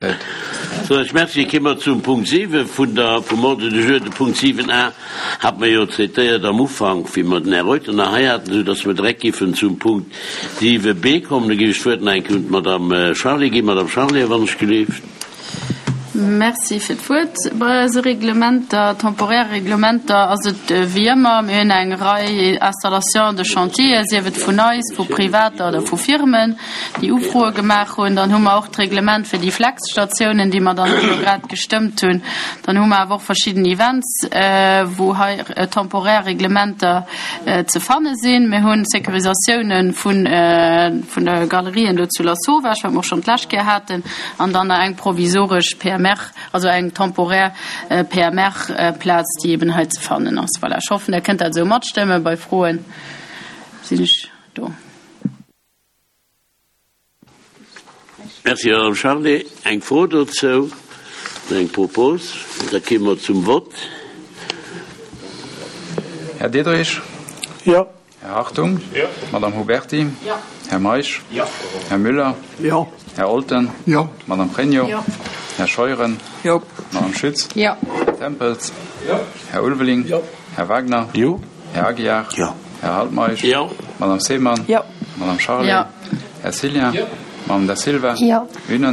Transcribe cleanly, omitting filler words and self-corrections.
Sou, ech merci. Kéime mer zum Punkt 7 vun der, vum Ordre du jour. De Punkt 7 a hat mer jo traitéiert am Ufank, wéi mer den Här Reuter nach hei haten, esou dass mer direkt géifen zum Punkt 7 b kommen. Da géif ech d'Wuert nach eng Kéier un d'Madame Charlé ginn. Madame Charlé, wann ech gelift. Merci fir d'Wuert. Bei eise Reglementer, temporaire Reglementer, ass et wéi ëmmer, Mir hunn eng Rei Installations de chantier, sief et vun eis, vu Privater oder vu Firmen, déi Ufroe gemaach hunn. Dann hu mer och d'Reglement fir déi Flexstatiounen, déi mer dann elo grad gestëmmt hunn. Dann hu mer awer och verschidden Events, wou hei temporaire Reglementer ze fanne sinn. Mir hunn Sécurisatiounen vun de Galerien do zu Lasauvage, wat mer och schonn d'lescht Kéier haten. An dann nach eng provisoresch PMR, also eng temporär PMR-Plaz, déi eben hei ze fannen ass. Voilà, ech hoffen, Der kënnt dat esou matstëmmen. Bei Froen sinn ech do. Merci, Madame Charlé. Eng Fro dozou oder eng Propos? Da kéime mer zum Vott. Här Diderich. Jo. Här Hartung. Jo. Madame Huberti. Jo. Här Meisch. Jo. Här Müller. Jo. Här Olten. Jo. Madame Pregno. Jo. Här Scheuren. Jo. Madame Schütz. Jo. Här Tempels. Jo. Här Ulveling. Jo. Här Wagner. Jo. Här Aguiar. Jo. Här Altmeisch. Jo. Madame Seemann. Jo. Madame Charlé. Jo. Här Cillien. Jo. Madame Da Silva. Jo. Unanimité.